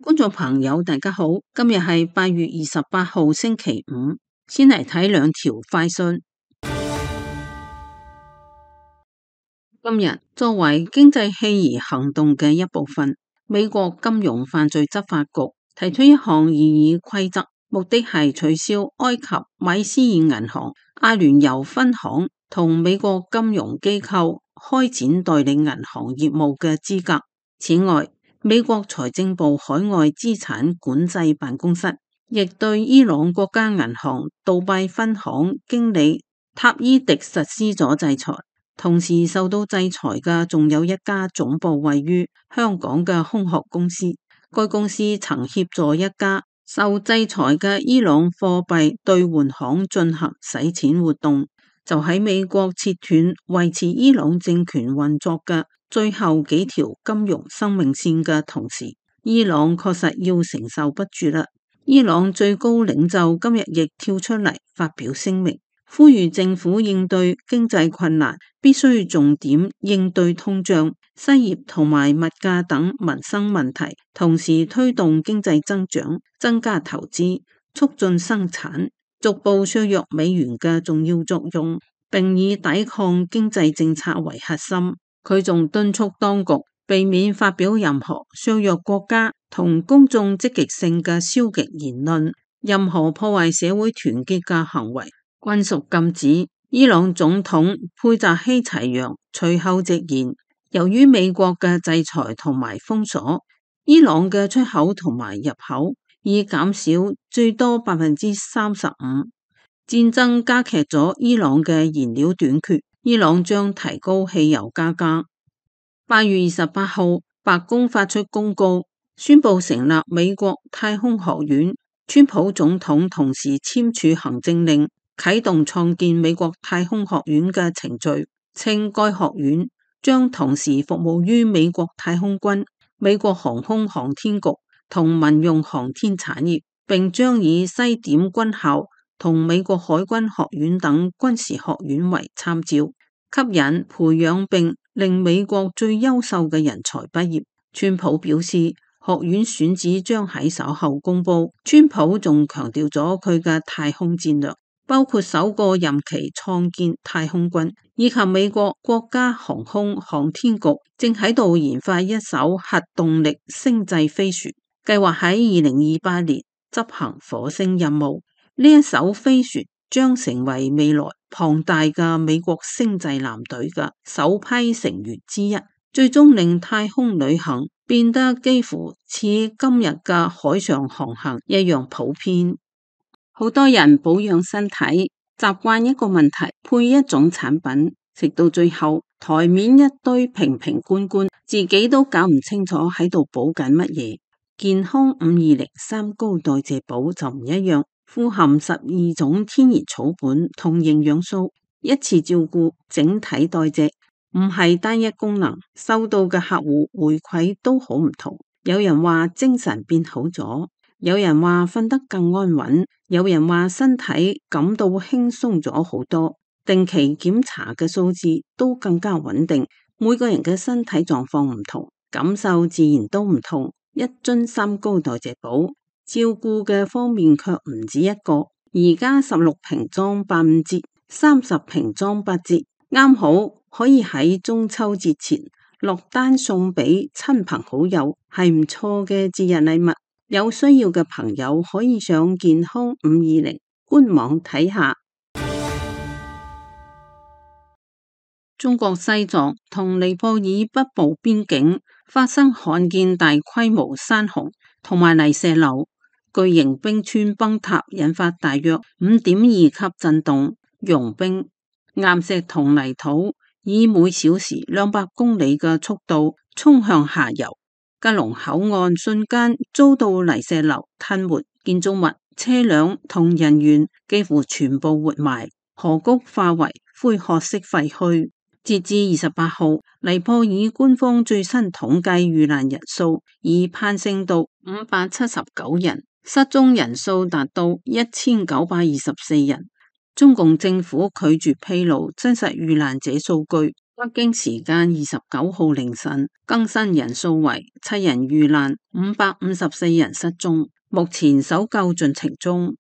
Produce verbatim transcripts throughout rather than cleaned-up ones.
觀眾朋友，大家好，今日係八月二十八號星期五，先嚟睇兩條快訊。今日作為經濟棄移行動嘅一部分，美國金融犯罪執法局提出一項擬議規則，目的係取消埃及米斯爾銀行阿聯酋分行同美國金融機構開展代理銀行業務嘅資格。此外，美國財政部海外資產管制辦公室亦對伊朗國家銀行杜拜分行經理塔伊迪實施咗制裁。同時受到制裁嘅仲有一家總部位於香港嘅空殼公司，該公司曾協助一家受制裁嘅伊朗貨幣兌換行進行洗錢活動，就喺美國切斷維持伊朗政權運作嘅最後幾條金融生命線嘅同時，伊朗確實要承受不住啦。伊朗最高領袖今日亦跳出嚟發表聲明，呼籲政府應對經濟困難，必須重點應對通脹、失業同埋物價等民生問題，同時推動經濟增長，增加投資，促進生產，逐步削弱美元嘅重要作用，並以抵抗經濟政策為核心。佢仲敦促當局避免發表任何削弱國家同公眾積極性嘅消極言論，任何破壞社會團結嘅行為均屬禁止。伊朗總統佩扎希齊揚隨後直言，由於美國嘅制裁同埋封鎖，伊朗嘅出口同埋入口已減少最多百分之三十五。戰爭加劇咗伊朗嘅燃料短缺，伊朗將提高汽油價格。八月二十八號，白宮發出公告，宣布成立美國太空學院。川普總統同時簽署行政令，啟動創建美國太空學院嘅程序，稱該學院將同時服務於美國太空軍、美國航空航天局同民用航天產業，並將以西點軍校同美國海軍學院等軍事學院為參照，吸引、培養並令美國最優秀嘅人才畢業。川普表示，學院選址將喺稍後公布。川普仲強調咗佢嘅太空戰略，包括首個任期創建太空軍，以及美國國家航空航天局正喺度研發一艘核動力星際飛船，計劃喺二零二八年執行火星任務。呢一艘飛船將成為未來龐大嘅美國星際艦隊嘅首批成員之一，最終令太空旅行變得幾乎似今日嘅海上航行一樣普遍。好多人保養身體習慣一個問題，配一種產品，食到最後台面一堆瓶瓶罐罐，自己都搞唔清楚喺度補緊乜嘢。健康五二零三高代謝寶就唔一樣，富含十二種天然草本同營養素，一次照顧整體代謝，唔係單一功能。收到嘅客戶回饋都好唔同，有人話精神變好咗，有人話瞓得更安穩，有人話身體感到輕鬆咗好多。定期檢查嘅數字都更加穩定。每個人嘅身體狀況唔同，感受自然都唔同。一樽三高代謝寶，照顧嘅方面卻唔止一個。而家十六瓶裝八五折，三十瓶裝八折，啱好可以喺中秋節前落單送俾親朋好友，係唔錯嘅節日禮物。有需要嘅朋友可以上健康五二零官網睇下。中國西藏同尼泊爾北部邊境發生罕見大規模山洪同埋泥石流，巨型冰川崩塌，引發大約五點二級震動，融冰、岩石同泥土以每小時兩百公里嘅速度衝向下游。吉隆口岸瞬間遭到泥石流吞沒，建築物、車輛同人員幾乎全部活埋，河谷化為灰褐色廢墟。截至二十八號，尼泊爾官方最新統計遇難人數已攀升到五百七十九人，失蹤人數達到一千九百二十四人。中共政府拒絕披露真實遇難者數據，北京時間二十九號凌晨，更新人數為七人遇難，五百五十四人失蹤，目前搜救進程中。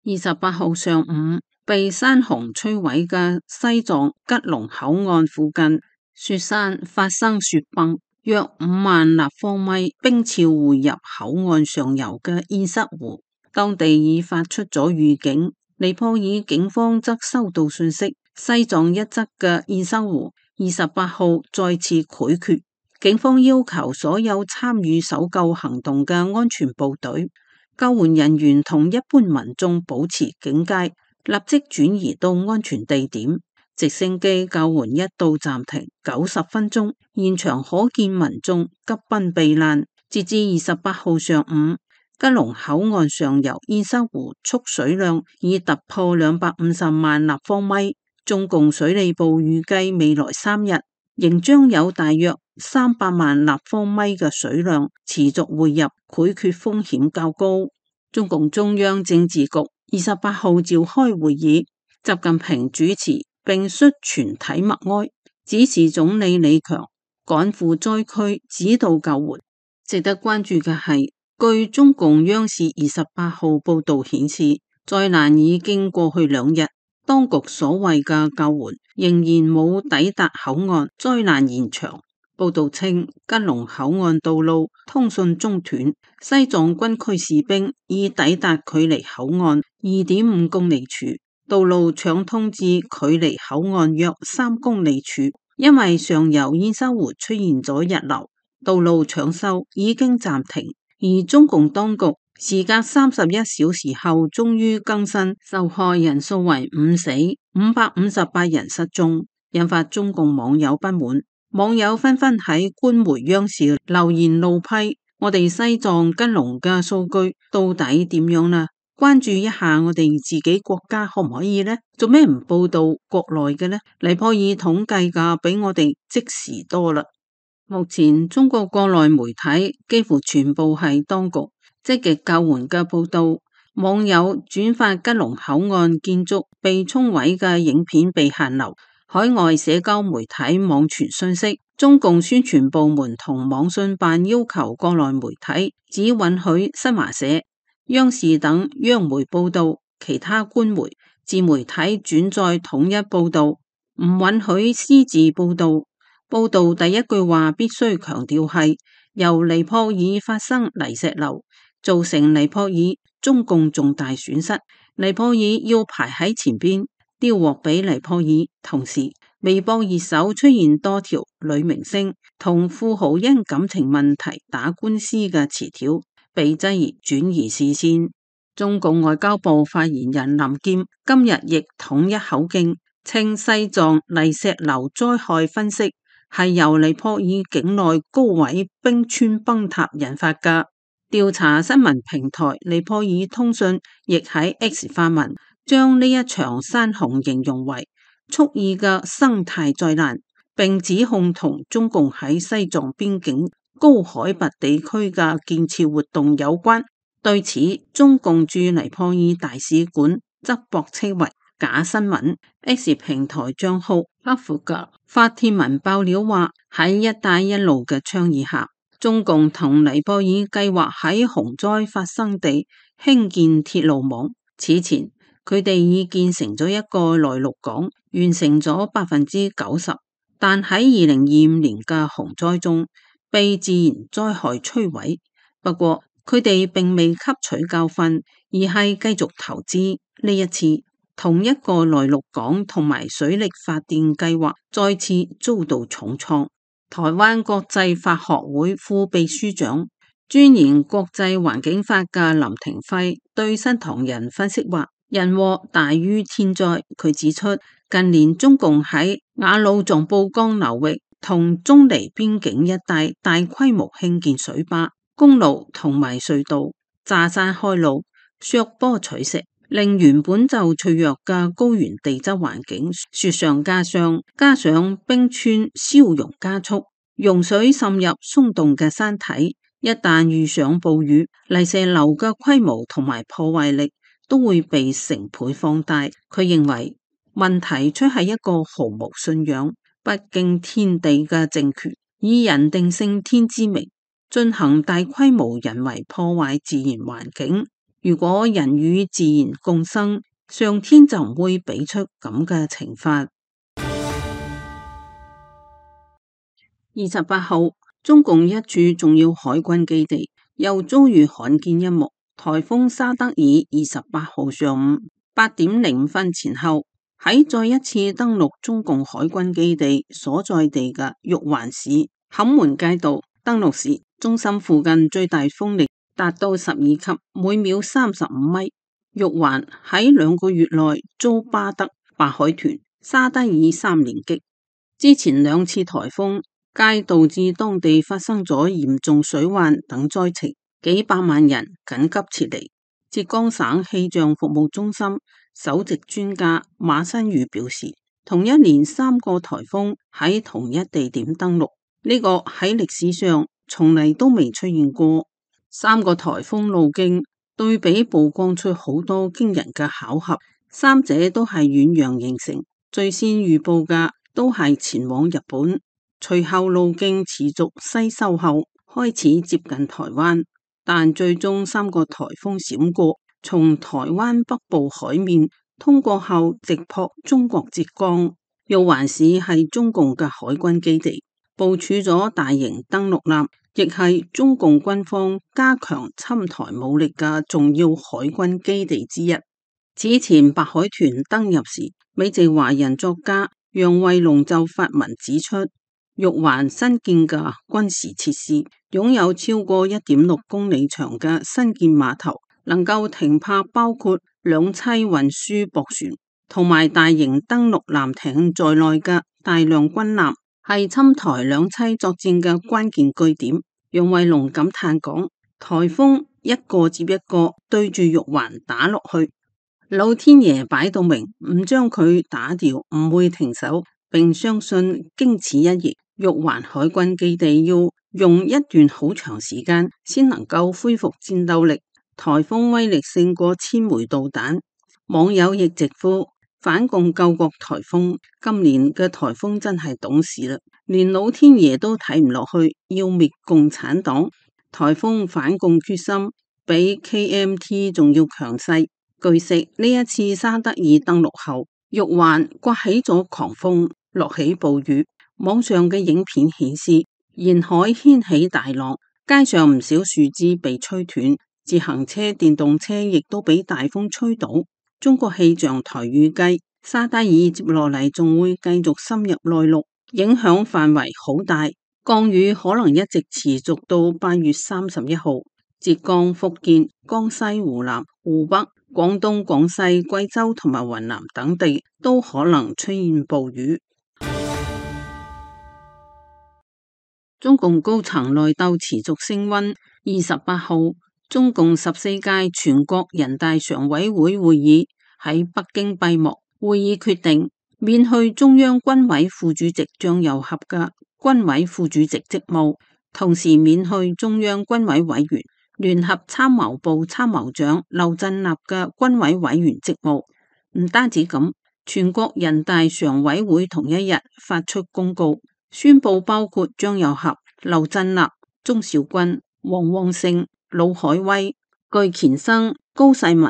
二十八號上午，被山洪摧毀嘅西藏吉隆口岸附近雪山發生雪崩，約五萬立方米冰潮匯入口岸上游嘅堰塞湖，當地已發出咗預警。尼泊爾警方則收到信息，西藏一側嘅堰塞湖二十八號再次潰決，警方要求所有參與搜救行動嘅安全部隊、救援人員同一般民眾保持警戒，立即轉移到安全地點。直升機救援一度暫停九十分鐘，現場可見民眾急奔避難。截至二十八號上午，吉隆口岸上游堰塞湖蓄水量已突破兩百五十萬立方米。中共水利部預計未來三日仍將有大約三百萬立方米嘅水量持續匯入，潰決風險較高。中共中央政治局二十八號召開會議，習近平主持並率全體默哀，指示總理李強趕赴災區指導救援。值得關注嘅係，據中共央視二十八號報道顯示，災難已經過去兩日，當局所謂嘅救援仍然冇抵達口岸災難現場。報道稱，吉隆口岸道路通訊中斷，西藏軍區士兵已抵達距離口岸二點五公里處，道路暢通至距離口岸約三公里處。因為上游堰塞湖出現咗溢流，道路搶修已經暫停。而中共當局時隔三十一小時後，終於更新受害人數為五死，五百五十八人失蹤，引發中共網友不滿。網友紛紛喺官媒央視留言怒批：我哋西藏吉隆嘅數據到底點樣呢？關注一下我哋自己國家可唔可以呢？做咩唔報道國內嘅呢？尼泊爾統計嘅比我哋即時多啦。目前中國國內媒體幾乎全部係當局積極救援嘅報道，網友轉發吉隆口岸建築被沖毀嘅影片被限流。海外社交媒體網傳信息，中共宣傳部門同網信辦要求國內媒體只允許新華社、央視等央媒報道，其他官媒、自媒體轉載統一報道，唔允許私自報道。報道第一句話必須強調係由尼泊爾發生泥石流，造成尼泊爾中共重大損失，尼泊爾要排喺前邊。丟鑊俾尼泊爾。同時，微博熱搜出現多條女明星同富豪因感情問題打官司嘅詞條，被質疑轉移視線。中共外交部發言人林劍今日亦統一口徑，稱西藏泥石流災害分析係由尼泊爾境內高位冰川崩塌引發嘅。調查新聞平台尼泊爾通訊亦喺 X 發文，將呢一場山洪形容為蓄意嘅生態災難，並指控同中共喺西藏邊境高海拔地區嘅建設活動有關。對此，中共駐尼泊爾大使館則駁斥為假新聞。X 平台賬號克服格發帖文爆料話，喺一帶一路嘅倡議下，中共同尼泊爾計劃喺洪災發生地興建鐵路網。此前，佢哋已建成咗一個內陸港，完成咗百分之九十，但喺二零二五年嘅洪災中被自然災害摧毀。不過佢哋並未吸取教訓，而係繼續投資。呢一次，同一個內陸港同埋水力發電計劃再次遭到重創。台灣國際法學會副秘書長、專研國際環境法嘅林廷輝對新唐人分析話，人禍大於天災。佢指出，近年中共喺雅魯藏布江流域同中尼邊境一帶大規模興建水壩、公路同埋隧道，炸山開路、削坡取石，令原本就脆弱嘅高原地質環境雪上加霜。加上冰川消融加速，溶水滲入鬆動嘅山體，一旦遇上暴雨，泥石流嘅規模同埋破壞力都會被成倍放大。佢認為問題出喺一個毫無信仰、不敬天地嘅政權，以人定勝天之名進行大規模人為破壞自然環境。如果人與自然共生，上天就唔會俾出咁嘅懲罰。二十八號，中共一處重要海軍基地又遭遇罕見一幕，颱風沙德爾二十八號上午八點零五分前後，喺再一次登陸中共海軍基地所在地嘅玉環市坎門街道登陸時，中心附近最大風力達到十二級，每秒三十五米。玉環喺兩個月內遭巴德、白海豚、沙德爾三連擊，之前兩次颱風皆導致當地發生咗嚴重水患等災情，幾百萬人緊急撤離。浙江省氣象服務中心首席專家馬新宇表示，同一年三個颱風喺同一地點登陸，呢個喺歷史上從嚟都未出現過。三個颱風路徑對比曝光出好多驚人嘅巧合，三者都係遠洋形成，最先預報嘅都係前往日本，隨後路徑持續西收後開始接近台灣，但最終三個颱風閃過，從台灣北部海面通過後直撲中國浙江。玉環市係中共嘅海軍基地，部署咗大型登陸艦，亦係中共軍方加強侵台武力嘅重要海軍基地之一。此前白海豚登入時，美籍華人作家楊惠龍就發文指出，玉環新建嘅軍事設施擁有超過一點六公里長嘅新建碼頭，能夠停泊包括兩棲運輸駁船同埋大型登陸艦艇在內嘅大量軍艦，係侵台兩棲作戰嘅關鍵據點。楊惠龍感嘆講，颱風一個接一個對住玉環打落去，老天爺擺到明唔將佢打掉，唔會停手，並相信經此一役，玉環海軍基地要用一段好長時間先能夠恢復戰鬥力。颱風威力勝過千枚導彈，網友亦直呼反共救國颱風，今年嘅颱風真係懂事啦，連老天爺都睇唔落去，要滅共產黨。颱風反共決心比 K M T 仲要強勢。據悉，呢一次沙德爾登陸後，玉環颳起咗狂風，落起暴雨。網上嘅影片顯示，沿海掀起大浪，街上唔少樹枝被吹斷，自行車、電動車亦都俾大風吹倒。中國氣象台預計，沙德爾接落嚟仲會繼續深入內陸，影響範圍好大，降雨可能一直持續到八月三十一號。浙江、福建、江西、湖南、湖北、廣東、廣西、貴州同埋雲南等地都可能出現暴雨。中共高層內鬥持續升溫。二十八號，中共十四屆全國人大常委會會議喺北京閉幕，會議決定免去中央軍委副主席張又俠嘅軍委副主席職務，同時免去中央軍委委員、聯合參謀部參謀長劉振立嘅軍委委員職務。唔單止咁，全國人大常委會同一日發出公告，宣布包括張又俠、劉振立、鍾兆軍、王旺盛、魯海威、巨乾生、高世民、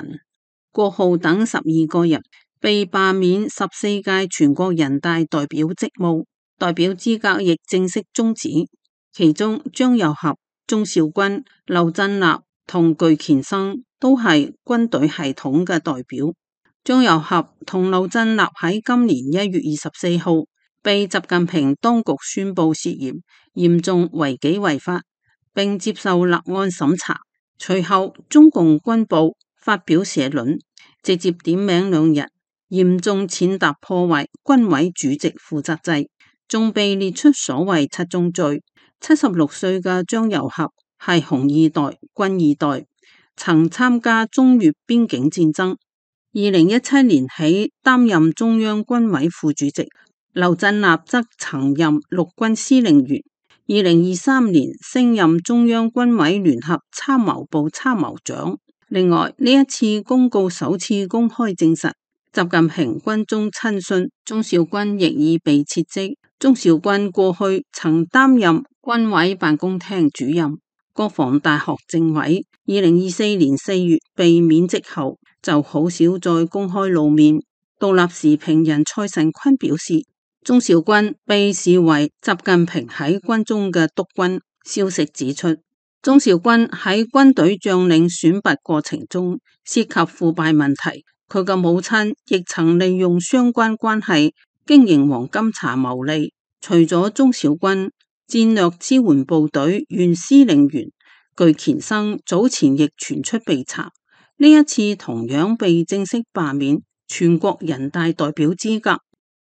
郭浩等十二個人被罷免十四屆全國人大代表職務，代表資格亦正式終止。其中張又俠、鍾兆軍、劉振立同巨乾生都係軍隊系統嘅代表。張又俠同劉振立喺今年一月二十四號被習近平當局宣布涉嫌嚴重違紀違法，並接受立案審查。隨後中共軍部發表社論，直接點名兩人嚴重踐踏破壞軍委主席負責制，仲被列出所謂七宗罪。七十六歲嘅張又俠係紅二代、軍二代，曾參加中越邊境戰爭。二零一七年起擔任中央軍委副主席，劉振立則曾任陸軍司令員。二零二三年升任中央軍委聯合參謀部參謀長。另外，呢一次公告首次公開證實，習近平軍中親信鍾兆軍亦已被撤職，鍾肇軍過去曾擔任軍委辦公廳主任、國防大學政委，二零二四年四月被免職後，就好少再公開露面。獨立時評人蔡慎坤表示，鍾肇軍被視為習近平喺軍中嘅督軍。消息指出，鍾肇軍喺軍隊將領選拔過程中涉及腐敗問題，佢嘅母親亦曾利用相關關係經營黃金茶牟利。除咗鍾肇軍，戰略支援部隊原司令員巨乾生早前亦傳出被查，呢一次同樣被正式罷免全國人大代表資格。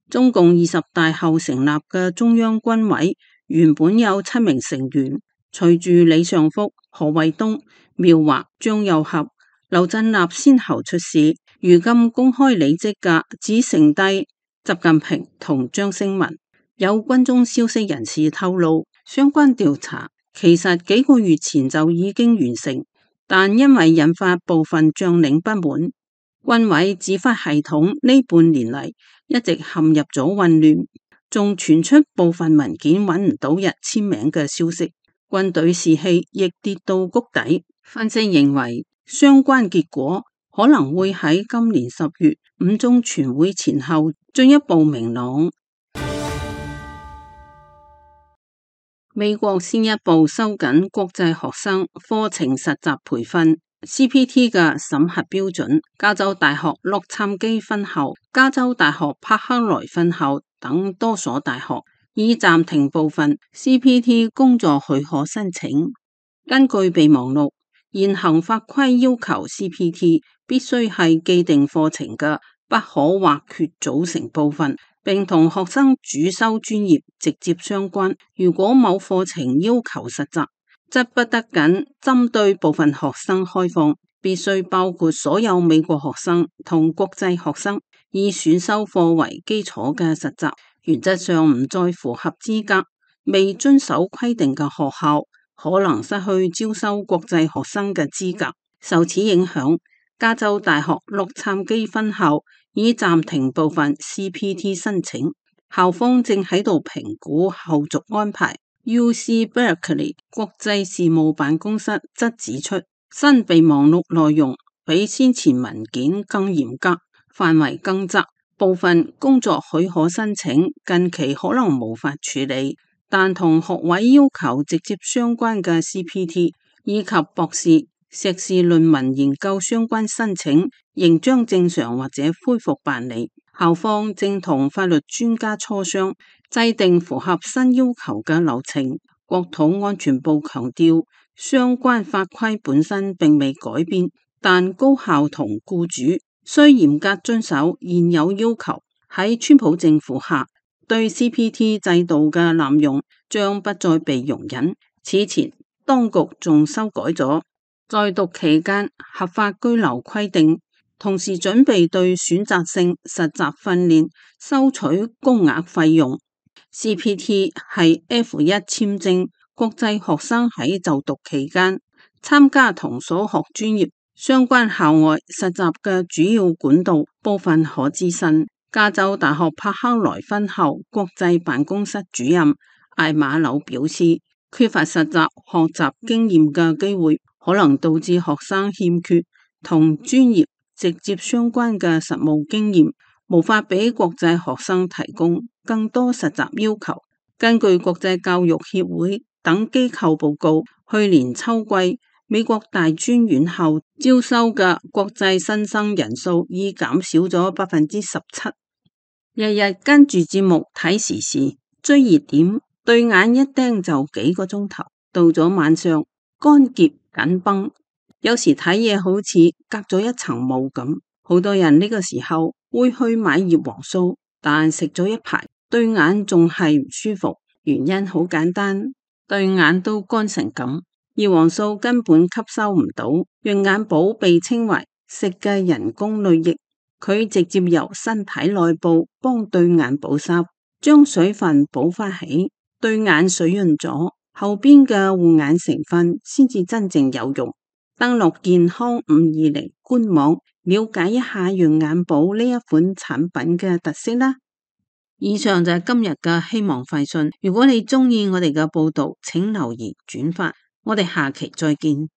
中共二十大後成立嘅中央軍委原本有七名成員，隨住李尚福、何衛東、苗華、張又俠、劉振立先後出事，如今公開離職嘅只剩低習近平同張升文。有軍中消息人士透露，相關調查其實幾個月前就已經完成，但因為引發部分將領不滿，軍委指揮系統呢半年嚟一直陷入咗混亂，仲傳出部分文件揾唔到人簽名嘅消息，軍隊士氣亦跌到谷底。分析認為，相關結果可能會喺今年十月五中全會前後進一步明朗。美國先一步收緊國際學生課程實習培訓 C P T 嘅審核標準，加州大學洛杉磯分校、加州大學柏克萊分校等多所大學已暫停部分 C P T 工作許可申請。根據備忘錄，現行法規要求 C P T 必須係既定課程嘅不可或缺組成部分，並同學生主修專業直接相關。如果某課程要求實習，則不得僅針對部分學生開放，必須包括所有美國學生同國際學生，以選修課為基礎嘅實習。原則上唔再符合資格、未遵守規定嘅學校，可能失去招收國際學生嘅資格。受此影響，加州大學洛杉磯分校已暫停部分 C P T 申請，校方正喺度評估後續安排。U C Berkeley 國際事務辦公室則指出，新備忘錄內容比先前文件更嚴格，範圍更窄，部分工作許可申請近期可能無法處理，但同學位要求直接相關嘅 C P T 以及博士、碩士論文研究相關申請仍將正常或者恢復辦理。校方正同法律專家磋商，制定符合新要求嘅流程。國土安全部強調，相關法規本身並未改變，但高校同僱主需嚴格遵守現有要求。喺川普政府下，對 C P T 制度嘅濫用將不再被容忍。此前，當局仲修改咗在讀期間合法居留規定，同時準備對選擇性實習訓練收取高額費用。C P T 係 F 一 簽證，國際學生喺就讀期間參加同所學專業相關校外實習嘅主要管道。部分可資訊。加州大學柏克萊分校國際辦公室主任艾馬紐表示，缺乏實習學習經驗嘅機會，可能導致學生欠缺同專業直接相關嘅實務經驗，無法俾國際學生提供更多實習要求。根據國際教育協會等機構報告，去年秋季美國大專院校招收嘅國際新生人數已減少咗百分之十七。日日跟住節目睇時事追熱點，對眼一盯就幾個鐘頭，到咗晚上乾澀緊繃，有時睇嘢好似隔咗一層霧咁。好多人呢個時候會去買葉黃素，但食咗一排對眼仲係唔舒服，原因好簡單，對眼都乾成咁，葉黃素根本吸收唔到。潤眼寶被稱為食嘅人工淚液，佢直接由身體內部幫對眼補濕，將水分補翻起，對眼水潤咗，後邊嘅護眼成分先至真正有用。登錄健康五二零官網，了解一下潤眼寶呢一款產品嘅特色啦。以上就係今日嘅希望快訊。如果你鍾意我哋嘅報道，請留言轉發。我哋下期再見。